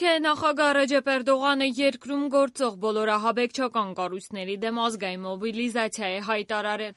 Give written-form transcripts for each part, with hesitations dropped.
Թուրքիայի նախագահ Ռեջեփ Էրդողանը երկրում գործող բոլոր ահաբեկչական կառույցների դեմ ազգային մոբիլիզացիա է հայտարարել։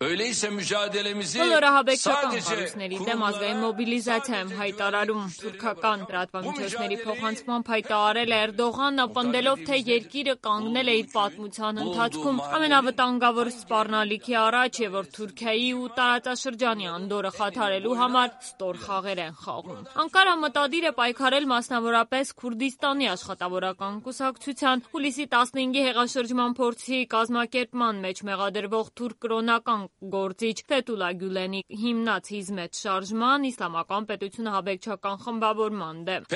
Բոլոր ահաբեկչական կառույցների դեմ ազգային մոբիլիզացիա եմ հայտարարում։ Թուրքական լրատվամիջոցների փոխանցմամբ հայտարարել է Էրդողանը, պնդելով, թե երկիրը կանգնել է իր պատմության ընթացքում ամենավտանգավոր սպառնալիքի առաջ եւ որ Թուրքիայի ու տարածաշրջանի անդորրը խաթարելու համար ստոր խաղեր են խաղում։ Անկարան մտադիր է պայքարել մասնավորապես Քուրդիստանի աշխատավորական կուսակցության հուլիսի 15-ի հեղաշրջման փորձի կազմակերպման մեջ մեղադրվող թուրք կրոնական գործիչ Ֆեթուլա Գյուլենի հիմնած Հիզմեթ շարժման իսլամական պետությունը ահաբեկչական խմբավորման դեմ։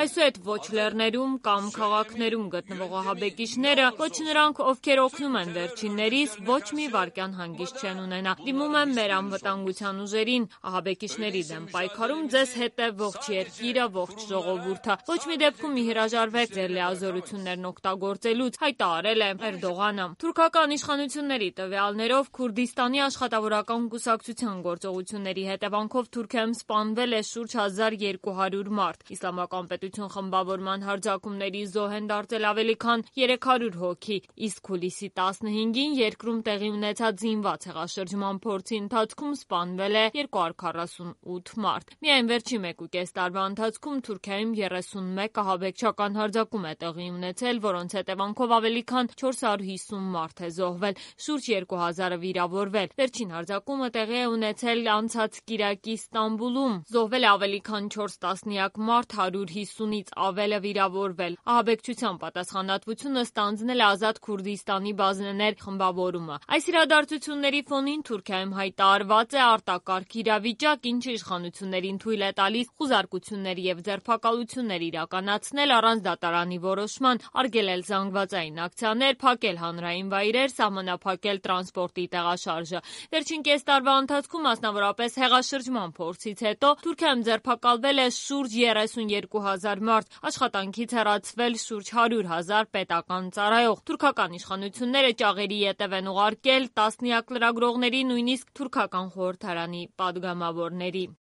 Այսուհետ ոչ լեռներում կամ քաղաքներում գտնվող ահաբեկիչները, ոչ նրանք, ովքեր օգնում են վերջիններիս, ոչ մի վայրկյան հանգիստ չեն ունենա։ Դիմում եմ մեր անվտանգության ուժերին, ահաբեկիչների դեմ պայքարում ձեզ հետ է ողջ երկիրը, ողջ ժողովուրդը։ Ոչ մի դեպքում մի հրաժարվեք ձեր լիազորություններն օգտագործելուց, հայտարարել է Էրդողանը։ Թուրքական իշխանությունների տվյալներով Քուրդիստանի աշխատավորական կուսակցության գործողությունների հետևանքով Թուրքիայում սպանվել է շուրջ 1200 մարդ։ Իսլամական պետություն խմբավորման հարձակումների զոհ են դարձել ավելի քան 300 հոգի, իսկ հուլիսի 15-ին երկրում տեղի ունեցած զինված հեղաշրջման փորձի ընթացքում սպանվել է 248 մարդ։ Միայն վերջին 1.5 տարվա ընթացքում Թուրքիայում 31 ահաբեկչական հարձակում է տեղի ունեցել, որոնց հետևանքով ավելի քան 450 մարդ է զոհվել, շուրջ 2000-ը վիրավորվել։ Վերջին հարձակումը տեղի է ունեցել անցած կիրակի Ստամբուլում։ Զոհվել է ավելի քան 4 տասնյակ մարդ, 150-ից ավելը վիրավորվել։ Ահաբեկչության պատասխանատվությունը ստանձնել է Ազատ Քուրդիստանի բազններ խմբավորումը։ Այս իրադարձությունների ֆոնին Թուրքիայում հայտարարված է արտակարգ իրավիճակ, ինչը իշխանություններին թույլ է տալիս խուզարկություններ եւ ձերբակալություններ իրականացնել առանց դատարանի որոշման, արգելել զանգվածային ակցիաներ, փակել հանրային վայրեր, սահմանափակել տրանսպորտի տեղաշարժը։ Վերջին կես տարվա ընթացքում, մասնավորապես հեղաշրջման փորձից հետո, Թուրքիայում ձերբակալվել է շուրջ 32,000 մարդ, աշխատանքից հեռացվել շուրջ 100,000 պետական ծառայող։ Թուրքական իշխանությունները ճաղերի ետև են ուղարկել տասնյակ լրագրողների, նույնիսկ թուրքական խորհրդարանի պատգամավորների։